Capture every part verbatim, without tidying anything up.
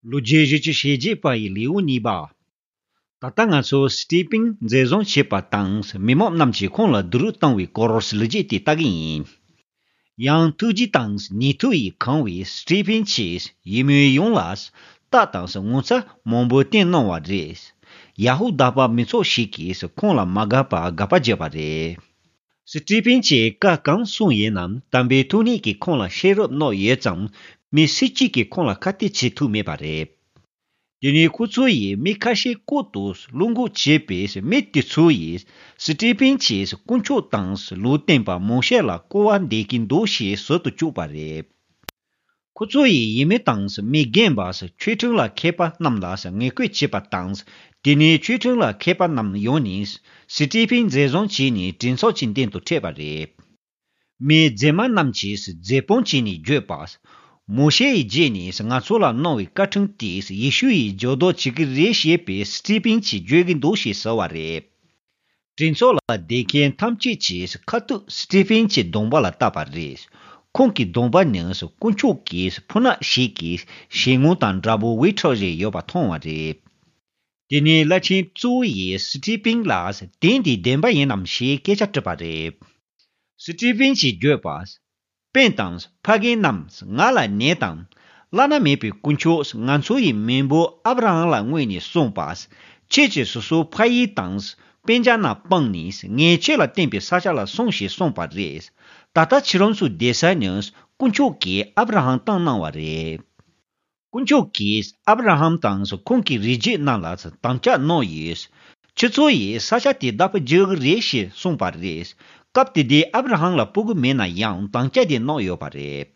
ལོ་རྒྱུས་བཞི་བཅུ་ཞེ་བརྒྱད་པ་ཡི་ལེའུ་གཉིས་པ། ད་ལྟ་ང་ཚོ་སི་ཏི་ཕིན་འཛིན་བཟུང་བྱས་པ་དང་མི་མང་རྣམས་ཀྱིས་ཁོང་ལ་སྡུག་རུས་བཏང་བའི་སྐོར་ལོ་རྒྱུས་དེ་ལྟ་གི་ཡིན། ཡང་ཐུགས་རྗེ་དང་ནུས་མཐུ་ཡིས་གང་བའི་སི་ཏི་ཕིན་གྱིས་ཡུལ་མི་ཡོངས་ལ་རྟགས་དང་ངོ་མཚར་མང་པོ་བསྟན་གནང་བ་རེད། ཡ་ཧུ་དཱ་པ་མི་ཚོགས་ཤིག་གིས་ཁོང་ལ་མ་དགའ་པར་དགག་པ་བརྒྱབ་པ་རེད། སི་ཏི་ཕིན་གྱིས་བཀའ་གང་གསུངས་ཡིན་ནམ་དམ་པའི་ཐུགས་ཉིད་ཀྱིས་ཁོང་ལ་ཤེས་རབ་གནང་ཡོད་ཙང་། མི་སུ་གཅིག་གིས་ཁོང་ལ་ཁ་གཏད་བྱེད་ཐུབ་མེད་པ་རེད། དེ་ནས་ཁོ་ཚོ་ཡིས་མི་ཁ་ཤས་བསྐོ་དུ་བློ་འགུག་བྱས་པས། མི་དེ་ཚོ་ཡིས་སི་ཏི་ཕིན་གྱིས་དཀོན་མཆོག་དང་ལུང་བསྟན་པ་མོ་ཤེ་ལ་སྐུར་བ་འདེབས་ཀྱི་འདུག་ཞེས་ཟེར་དུ་བཅུག་པ་རེད། ཁོ་ཚོ་ཡིས་ཡུལ་མི་དང་མི་རྒན་པ་ཆོས་ཁྲིམས་ལ་མཁས་པ་རྣམས་ལ་ངན་སྐུལ་བྱས་པ་དང་། དེ་ནས་ཆོས་ཁྲིམས་ལ་མཁས་པ་རྣམས་ཡོང་ནས་སི་ཏི་ཕིན་འཛིན་བཟུང་བྱས་ནས་གྲོས་ཚོགས་ཀྱི་མདུན་དུ་འཁྲིད་པ་རེད། མི་རྗེས་མ་རྣམས་ཀྱིས་རྫུན་དཔང་བྱས་ནས་བརྗོད་པ། མོ་ཤེ་ཡི་རྗེས་ནས་ང་ཚོ་ལ་གནང་བའི་བཀའ་ཁྲིམས་དེས་ཡེ་ཤུ་ཡི་འགྱུར་ལྡོག་བྱེད་ཀྱི་རེད་ཞེས་པའི་སི་ཏི་ཕིན་གྱིས་བརྗོད་ཀྱི་འདུག་ཞེས་ཟེར་བ་རེད། གྲོས་ཚོགས་ལ་བསྡད་མཁན་ཐམས་ཅད་ཀྱིས་ཁ་ཐུག་སི་ཏི་ཕིན་གྱི་གདོང་པ་ལ་བལྟས་པ་རེད། ཁོང་གི་གདོང་པ་ནི་དཀོན་མཆོག་གི་ཕོ་ཉ་ཞིག་གི་ཞལ་ངོ་དང་འདྲ་པོ་འོད་འཕྲོ་བཞིན་ཡོད་པ་མཐོང་བ་རེད། དེ་ནས་བླ་ཆེན་གཙོ་བོ་ཡིས་སི་ཏི་ཕིན་ལ་དེ་འདི་བདེན་པ་ཡིན་ནམ་ཞེས་སྐད་ཆ་དྲིས་པ་རེད། སི་ཏི་ཕིན་གྱིས་བརྗོད་པ། སྤུན་དང་ཕ་རྒན་རྣམས། ང་ལ་ཉོན་དང་། བླ་ན་མེད་པའི་དཀོན་མཆོག་ང་ཚོ་ཡི་མེས་པོ་ཨབ་ར་ཧམ་ལ་མངོན་ནས་གསུངས་པ། ཁྱེད་ཀྱིས་སོ་སོའི་ཕ་ཡུལ་དང་སྤུན་ཀྱག་རྣམས་སྤངས་ནས་ངས་ཁྱེད་ལ་བསྟན་པའི་ས་ཆ་ལ་སོང་ཞེས་གསུངས་པ་རེད། ད་ལྟ་ཁྱེད་རང་ཚོའི་བསྡད་ས་ནི་དཀོན་མཆོག་གིས་ཨབ་ར་ཧམ་བཏང་གནང་བ་རེད། དཀོན་མཆོག་གིས་ཨབ་ར་ཧམ་དང་ཁོང་གི་རིགས་རྒྱུད་རྣམས་ལ་དམ་བཅའ་གནང་ཡོད། ཁྱེད་ཚོ་ཡིས་ས་ཆ་དེ་བདག་པོ་རྒྱག་གི་རེད་ཞེས་གསུངས་པ་རེད། སྐབས་དེ་དུས་ཨབ་ར་ཧམ་ལ་སྤུ་གུ་མེད་ན་ཡང་དམ་བཅའ་དེ་གནང་ཡོད་པ་རེད།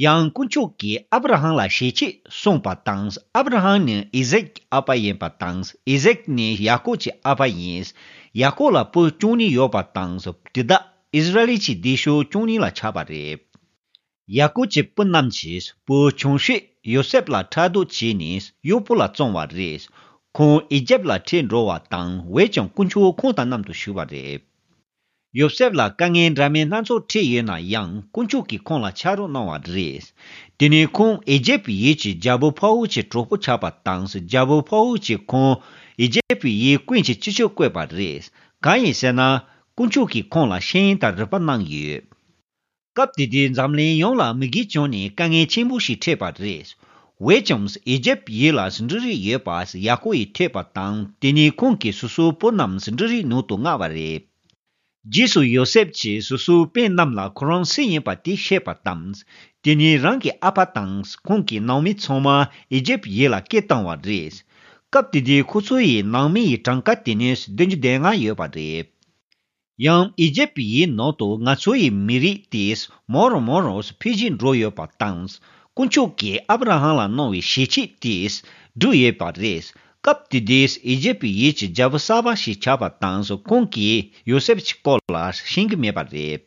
ཡང་དཀོན་མཆོག་གིས་ཨབ་ར་ཧམ་ལ་ཞལ་ཆད་གསུངས་པ་དང་། ཨབ་ར་ཧམ་ནི་ཨི་ཟེག་གི་ཨ་ཕ་ཡིན་པ་དང་། ཨི་ཟེག་ནི་ཡ་ཀོབ་ཀྱི་ཨ་ཕ་ཡིན། ཡ་ཀོབ་ལ་བུ་བཅུ་གཉིས་ཡོད་པ་དང་། དེ་དག་ཨིསི་ར་ཨེལ་གྱི་སྡེ་ཤོག་བཅུ་གཉིས་ལ་ཆགས་པ་རེད། ཡ་ཀོབ་ཀྱི་བུ་རྣམས་ཀྱིས་བུ་ཆུང་ཤོས་ཡོ་སེབ་ལ་ཕྲག་དོག་བྱས་ནས་གཡོག་པོ་ལ་བཙོངས་པ་རེད། ཁོང་ཨི་ཇེབ་ལ་ཁྲིད་འགྲོ་བ་དང་། འོན་ཀྱང་དཀོན་མཆོག་ཁོང་དང་མཉམ་དུ་བཞུགས་པ་རེད། ཡོ་སེབ་ལ་དཀའ་ངལ་འདྲ་མིན་སྣ་ཚོགས་འཕྲད་ཡོད་ན་ཡང་། དཀོན་མཆོག་གིས་ཁོང་ལ་ཕྱག་རོགས་གནང་བ་རེད། དེ་ནས་ཁོང་ཨི་ཇེབ་ཡུལ་གྱི་རྒྱལ་པོ་ཕ་ཨོ་གྱི་གྲོགས་པོ་ཆགས་པ་དང་། རྒྱལ་པོ་ཕ་ཨོ་གྱིས་ཁོང་ཨི་ཇེབ་ཡུལ་ཀུན་གྱི་སྤྱི་ཁྱབ་བསྐོས་པ་རེད། གང་ཡིན་ཟེར་ན། དཀོན་མཆོག་གིས་ཁོང་ལ་ཤེས་ཡོན་དང་རིག་པ་གནང་ཡོད། སྐབས་དེ་དུས་འཛམ་གླིང་ཡོངས་ལ་མུ་གེ་བྱུང་ནས་དཀའ་ངལ་ཆེན་པོ་ཞིག་འཕྲད་པ་རེད། འོན་ཀྱང་ཨི་ཇེབ་ཡུལ་ལ་འབྲུ་རིགས་ཡོད་པ་ཡ་ཀོབ་ཡིས་ཐོས་པ་དང་། དེ་ནས་ཁོང་གིས་སོ་སོའི་བུ་རྣམས་འབྲུ་རིགས་ནང་དུ་མངགས་པ་རེད། རྗེས་སུ་ཡོ་སེབ་ཀྱིས་སོ་སོའི་སྤུན་རྣམས་ལ་ཁོ་རང་སུ་ཡིན་པ་དེ་བཤད་པ་དང་། དེ་ནས་རང་གི་ཨ་ཕ་དང་ཁོང་གི་ནང་མི་ཚང་མ་ཨི་ཇེབ་ཡུལ་ལ་སྐད་བཏང་བ་རེད། སྐབས་དེ་དུས་ཁོ་ཚོ་ཡི་ནང་མི་ཡི་གྲངས་ཀ་དེ་ནི་བདུན་ཅུ་དོན་ལྔ་ཡོད་པ་རེད། ཡང་ཨི་ཇེབ་ཡུལ་ནང་དུ་ང་ཚོ་ཡི་མི་རིགས་དེ་མང་རུ་མང་རུ་འཕེལ་རྒྱས་འགྲོ་ཡོད་པ་དང་། དཀོན་མཆོག་གིས་ཨབ་ར་ཧམ་ལ་གནང་བའི་ཞལ་ཆད་དེ་བསྒྲུབས་ཡོད་པ་རེད། སྐབས་དེ་དུས་ཨི་ཇེབ་ཡུལ་གྱི་རྒྱལ་པོ་གསར་པ་ཞིག་ཆགས་པ་དང་། ཁོང་གིས་ཡོ་སེབ་ཀྱི་སྐོར་ལ་ཤེས་ཀྱི་མེད་པ་རེད།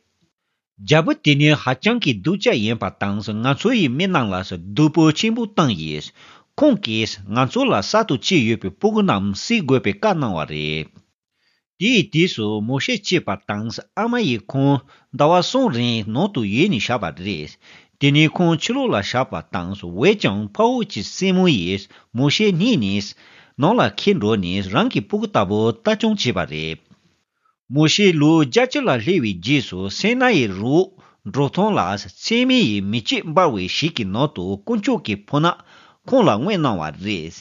རྒྱལ་པོ་དེ་ནི་ཧ་ཅང་གི་སྡུག་ཅག་ཡིན་པ་དང་། ང་ཚོ་ཡི་མི་རྣམས་ལ་སྡུག་པོ་ཆེན་པོ་བཏང་ཡོད། ཁོང་གིས་ང་ཚོ་ལ་གསར་དུ་སྐྱེས་ཡོད་པའི་སྤུ་གུ་རྣམས་བསད་དགོས་པའི་བཀའ་གནང་བ་རེད། དེའི་དུས་སུ་མོ་ཤེ་སྐྱེས་པ་དང་། ཨ་མ་ཡིས་ཁོང་ཟླ་བ་གསུམ་རིང་ནང་དུ་ཡོད་ནས་བཞག་པ་རེད། དེ་ནས་ཁོང་ཕྱི་ལོགས་ལ་བཞག་པ་དང་། འོན་ཀྱང་ཕ་ཨོ་གྱི་སྲས་མོ་ཡིས་མོ་ཤེ་རྙེད་ནས་ནང་ལ་འཁྱེར་འགྲོ་ནས་རང་གི་སྤུ་གུ་ལྟ་བུ་ལྟ་སྐྱོང་བྱས་པ་རེད། མོ་ཤེ་ལོ་བརྒྱད་ཅུ་ལ་སླེབས་པའི་རྗེས་སུ་སེ་ན་ཡི་རི་བོ་འབྲོག་ཐང་ལ་ཚེར་མའི་མེ་ལྕེ་འབར་བའི་ཞིག་གི་ནང་དུ་དཀོན་མཆོག་གི་ཕོ་ཉ་ཁོང་ལ་མངོན་གནང་བ་རེད།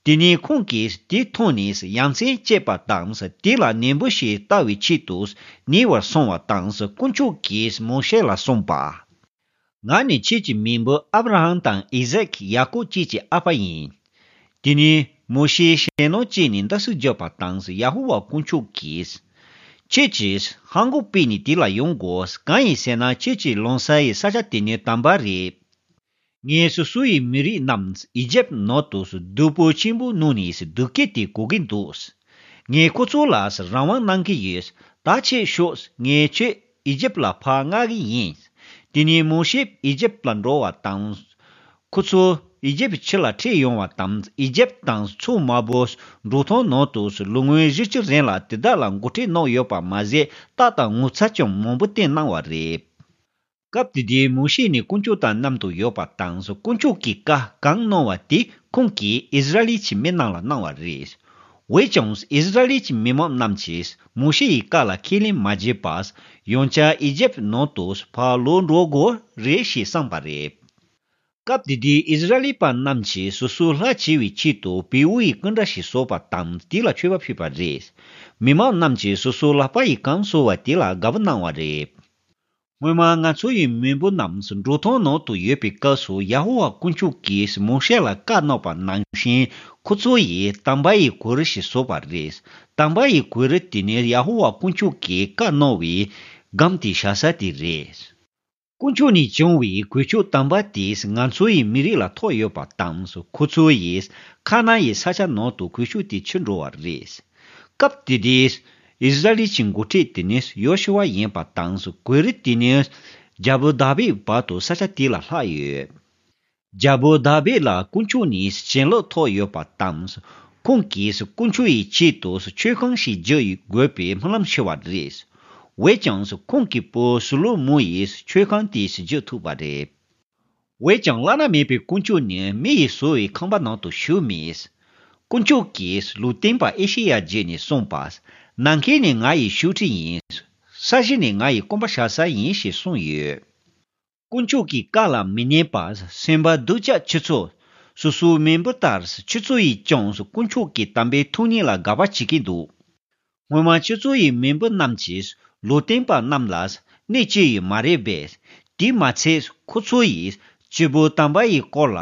དེ་ནས་ཁོང་གིས་དེ་མཐོང་ནས་ཡ་མཚན་སྐྱེས་པ་དང་། དེ་ལ་ནན་པོ་ཞིག་ལྟ་བའི་ཆེད་དུ་ཉེ་བར་སོང་བ་དང་། དཀོན་མཆོག་གིས་མོ་ཤེ་ལ་གསུངས་པ། ང་ནི་ཁྱེད་ཀྱི་མེས་པོ་ཨབ་ར་ཧམ་དང་ཨི་ཟེག་ཡ་ཀོབ་བཅས་ཀྱི་ཨ་ཕ་ཡིན། དེ་ནས་མོ་ཤེས་ཞེད་སྣང་སྐྱེས་ནས་འདར་སིག་བརྒྱབ་པ་དང་། ཡ་ཧོ་ཝཱ་དཀོན་མཆོག་གིས། ཁྱེད་ཀྱིས་ཧང་གོ་སྤོས་ནས་དེ་ལ་ཡོང་དགོས། གང་ཡིན་ཟེར་ན་ཁྱེད་ཀྱི་ལངས་ས་ཡི་ས་ཆ་དེ་ནི་དམ་པ་རེད། ངས་སོ་སོ་ཡི་མི་རིགས་རྣམས་ཨི་ཇེབ་ནང་དུ་སྡུག་པོ་ཆེན་པོ་མནན་ནས་སྡུག་སྐད་དེ་གོ་གི་འདུག་ངས་ཁོ་ཚོ་ལ་རང་དབང་གནང་གི་ཡོད། ད་ཁྱེད་ཤོག་ངས་ཁྱེད་ཨི་ཇེབ་ལ་ཕར་མངགས་ཀྱི་ཡིན། དེ་ནས་མོ་ཤེས་ཨི་ཇེབ་ལ་འགྲོ་བ་དང་། ཁོ་ཚོ་ཨི་ཇེབ་ཕྱི་ལ་ཁྲིད་ཡོང་བ་དང་། ཨི་ཇེབ་དང་མཚོ་དམར་པོ་འབྲོག་ཐང་ནང་དུ་ལོ་ངོ་བཞི་བཅུ་རིང་ལ་དེ་དག་ལ་འགོ་ཁྲིད་གནང་ཡོད་པ་མ་ཟད། རྟགས་དང་ངོ་མཚར་ཀྱང་མང་པོ་བསྟན་གནང་བ་རེད། སྐབས་དེ་དུས་མོ་ཤེ་ནི་དཀོན་མཆོག་དང་མཉམ་དུ་ཡོད་པ་དང་། དཀོན་མཆོག་གིས་བཀའ་གང་གནང་བ་དེ་ཁོང་གིས་ཨིསི་ར་ཨེལ་གྱི་མི་རྣམས་ལ་གནང་བ་རེད། འོན་ཀྱང་ཨིསི་ར་ཨེལ་གྱི་མི་མང་རྣམས་ཀྱིས་མོ་ཤེ་ཡི་བཀའ་ལ་ཁས་ལེན་མ་བྱས་པར། ཡང་བསྐྱར་ཨི་ཇེབ་ནང་དུ་ཕར་ལོག་འགྲོ་དགོས་རེད་ཞེས་བསམས་པ་རེད། སྐབས་དེ་དུས་ཨིསི་ར་ཨེལ་པ་རྣམས་ཀྱིས་སོ་སོའི་ལྷ་བྱེད་པའི་ཆེད་དུ་བེའུ་ཡི་སྐུ་འདྲ་ཞིག་བཟོས་པ་དང་། དེ་ལ་མཆོད་པ་ཕུལ་བ་རེད། མི་མང་རྣམས་ཀྱིས་སོ་སོའི་ལག་པ་ཡིས་གང་བཟོ་བ་དེ་ལ་དགའ་པོ་གནང་བ་རེད། སྔོན་མ་ང་ཚོ་ཡི་མེས་པོ་རྣམས་འབྲོག་ཐང་ནང་དུ་ཡོད་པའི་སྐབས་སུ་ཡ་ཧོ་ཝཱ་དཀོན་མཆོག་གིས་མོ་ཤེ་ལ་བཀའ་གནང་བ་ནང་བཞིན། ཁོ་ཚོ་ཡིས་དམ་པ་ཡི་གོས་རི་ཞིག་བཟོས་པ་རེད། དམ་པ་ཡི་གོས་རི་དེ་ནི་ཡ་ཧོ་ཝཱ་དཀོན་མཆོག་གིས་བཀའ་གནང་བའི་སྒམ་དེ་བཞག་ས་དེ་རེད། དཀོན་མཆོག་ནས་བྱུང་བའི་གོས་ཆེན་དམ་པ་དེས་ང་ཚོའི་མི་རིགས་ལ་ཐོགས་ཡོད་པ་དང་། ཁོ་ཚོ་ཡིས་ཁ་ན་ཡི་ས་ཆ་ནང་དུ་གོས་ཆེན་དེ་ཁྱེར་འགྲོ་བ་རེད། སྐབས་དེ་དུས་ཨིསི་ར་ཨེལ་གྱི་འགོ་ཁྲིད་དེ་ནི་ཡོ་ཤུ་ཝ་ཡིན་པ་དང་། གོས་རི་དེ་ནི་རྒྱལ་པོ་དཱ་བིད་བར་དུ་ས་ཆ་དེ་ལ་ལྷག་ཡོད། རྒྱལ་པོ་དཱ་བིད་ལ་དཀོན་མཆོག་ནས་བྱིན་རླབས་ཐོབ་ཡོད་པ་དང་། ཁོང་གིས་དཀོན་མཆོག་ཡི་ཆེད་དུ་མཆོད་ཁང་ཞིག་རྒྱག་དགོས་པའི་སྨོན་ལམ་ཞུ་བ་རེད། འོན་ཀྱང་ཁོང་གི་བུ་སོ་ལོ་མོ་ཡིས་མཆོད་ཁང་དེ་རྒྱག་ཐུབ་པ་རེད། འོན་ཀྱང་བླ་ན་མེད་པའི་དཀོན་མཆོག་ནི་མི་ཡིས་བཟོས་པའི་ཁང་པ་ནང་དུ་ཞུགས་མེད། དཀོན་མཆོག་གིས་ལུང་སྟོན་པ་ཨེ་ཤེ་ཡ་བརྒྱུད་ནས་གསུངས་པ། ནམ་མཁའ་ནི་ང་ཡི་བཞུགས་ཁྲི་ཡིན། ས་གཞི་ནི་ང་ཡི་སྐོམ་པ་བཞག་ས་ཡིན་ཞེས་གསུངས་ཡོད། དཀོན་མཆོག་གི་བཀའ་ལ་མི་ཉན་པར་སེམས་པ་སྡུག་ཅག་ཁྱེད་ཚོ། སོ་སོའི་མེས་པོ་ལྟར་ཁྱེད་ཚོ་ཡིས་ཀྱང་དཀོན་མཆོག་གི་དམ་པའི་ཐུགས་ཉིད་ལ་དགག་པ་བྱེད་ཀྱིན་འདུག་སྔོན་མ་ཁྱེད་ཚོ་ཡི་མེས་པོ་རྣམས་ཀྱིས་ལུང་སྟོན་པ་རྣམས་ལ་གནོད་བྱས་ཡོད་མ་རེད་པས། དེ་མ་ཚད་ཁོ་ཚོ་ཡིས་སྐྱེས་བུ་དམ་པ་ཡི་སྐོར་ལ་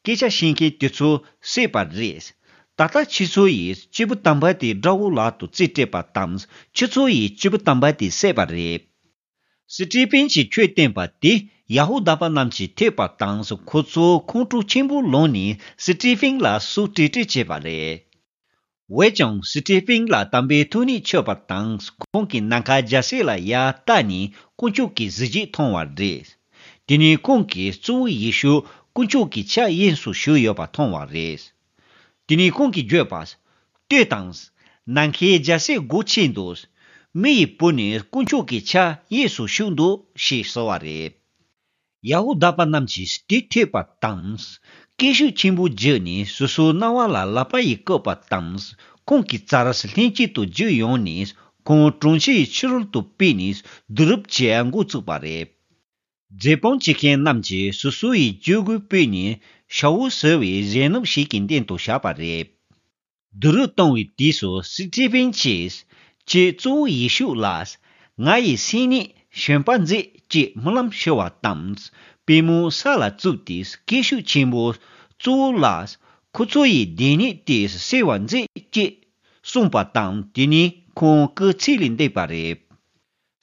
སྐད་ཆ་བཤད་མཁན་དེ་ཚོ་བསད་པ་རེད། ད་ལྟ་ཁྱེད་ཚོ་ཡིས་སྐྱེས་བུ་དམ་པ་དེ་དགྲ་བོ་ལག་ཏུ་རྩིས་སྤྲད་པ་དང་། ཁྱེད་ཚོ་ཡིས་སྐྱེས་བུ་དམ་པ་དེ་བསད་པ་རེད། སི་ཏི་ཕིན་གྱིས་ཆོས་བསྟན་པ་དེ་ཡ་ཧུ་དཱ་པ་རྣམས་ཀྱིས་ཐོས་པ་དང་། ཁོ་ཚོས་ཁོང་ཁྲོ་ཆེན་པོ་ལངས་ནས་སི་ཏི་ཕིན་ལ་སོ་ཏྲི་ཏྲི་བྱས་པ་རེད། འོན་ཀྱང་སི་ཏི་ཕིན་ལ་དམ་པའི་ཐུགས་ཉིད་མཆོད་པ་དང་། ཁོང་གིས་ནམ་མཁའ་རྒྱལ་སྲིད་ལ་ཡར་བལྟས་ནས་དཀོན་མཆོག་གི་གཟི་བརྗིད་མཐོང་བ་རེད། དེ་ནས་ཁོང་གིས་གཙོ་བོ་ཡེ་ཤུ་དཀོན་མཆོག་གི་ཕྱག་གཡས་སུ་བཞུགས་ཡོད་པ་མཐོང་བ་རེད། དེ་ནས་ཁོང་གིས་བརྗོད་པ། ལྟོས་དང་། ནམ་མཁའི་རྒྱལ་སྲིད་སྒོ་ཕྱེ་འདུག་མི་ཡི་བུ་ནི་དཀོན་མཆོག་གི་ཕྱག་གཡས་སུ་བཞུགས་འདུག་ཞེས་ཟེར་བ་རེད། ཡ་ཧུ་དཱ་པ་རྣམས་ཀྱིས་དེ་ཐོས་པ་དང་། སྐད་ཤུགས་ཆེན་པོ་བརྒྱབ་ནས་སོ་སོའི་རྣ་བ་ལ་ལག་པ་ཡིས་བཀབ་པ་དང་། ཁོང་གི་རྩར་ལྷན་ཅིག་ཏུ་རྒྱུགས་ཡོང་ནས་ཁོང་གྲོང་ཁྱེར་ཡི་ཕྱི་རོལ་དུ་ཕུད་ནས་རྡོ་རུབ་བྱེད་འགོ་བཙུགས་པ་རེད། རྫུན་དཔང་བྱེད་མཁན་རྣམས་ཀྱིས་སོ་སོ་ཡི་སྤྱོད་སྒོ་སྤེལ་ནས་ཤ་འུ་ཟེར་བའི་གཞོན་ནུ་ཞིག་གི་སྟེང་དུ་བཞག་པ་རེད། རྡོ་རུབ་བཏང་བའི་དུས་སུ་སི་ཏི་ཕིན་གྱིས་ཀྱེ་གཙོ་བོ་ཡེ་ཤུ་ལགས། ང་ཡི་སེམས་ནད་གཞོན་པ་མཛད་ཅེས་སྨོན་ལམ་ཞུ་བ་དང་། པུས་མོ་ས་ལ་བཙུགས་ཏེ་སྐད་ཤུགས་ཆེན་པོས་གཙོ་བོ་ལགས། ཁོ་ཚོ་ཡི་སྡིག་ཉེས་དེ་སེལ་བར་མཛད་ཅེས་གསུངས་པ་དང་། དེ་ནས་ཁོང་སྐུ་ཚེ་ལས་འདས་པ་རེད།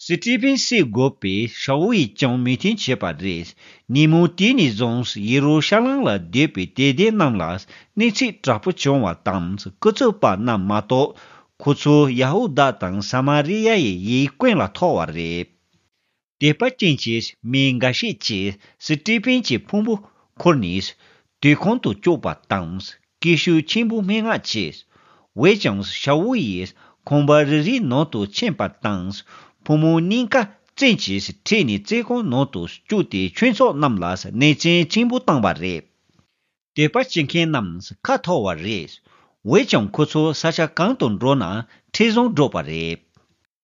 སི་ཏི་ཕིན་བསད་དགོས་པའི་ཤ་འུ་ཡིས་ཀྱང་མོས་མཐུན་བྱས་པ་རེད། ཉིན་མོ་དེ་ནས་བཟུང་ཡེ་རུ་ཤ་ལམ་ལ་སྡོད་པའི་དད་ལྡན་རྣམས་ལ་གནོད་འཚེ་དྲག་པོ་བྱུང་བ་དང་། སྐུ་ཚབ་པ་རྣམས་མ་གཏོགས་ཁོ་ཚོ་ཡ་ཧུ་དཱ་དང་ས་མ་རི་ཡ་ཡི་ཡུལ་ཀུན་ལ་ཐོར་བ་རེད། དད་པ་ཅན་གྱི་མི་འགའ་ཤས་ཀྱིས་སི་ཏི་ཕིན་གྱི་ཕུང་པོ་འཁུར་ནས་དུར་ཁང་དུ་བཅུག་པ་དང་། སྐད་ཤུགས་ཆེན་པོས་སྨྲེ་སྔགས་བྱས། འོན་ཀྱང་ཤ་འུ་ཡིས་ཁང་པ་རེ་རེའི་ནང་དུ་ཕྱིན་པ་དང་། ཕོ་མོ་གཉིས་ཀ་བཙན་གྱིས་ཁྲིད་ནས་བཙོན་ཁང་ནང་དུ་བཅུག་སྟེ་ཆོས་ཚོགས་རྣམས་ལ་གནོད་སྐྱོན་ཆེན་པོ་བཏང་བ་རེད། དད་པ་བྱེད་མཁན་རྣམས་ཁ་འཐོར་བ་རེད། འོན་ཀྱང་ཁོ་ཚོ་ས་ཆ་གང་དུ་འགྲོ་ན་འཕྲིན་བཟང་སྒྲོག་པ་རེད།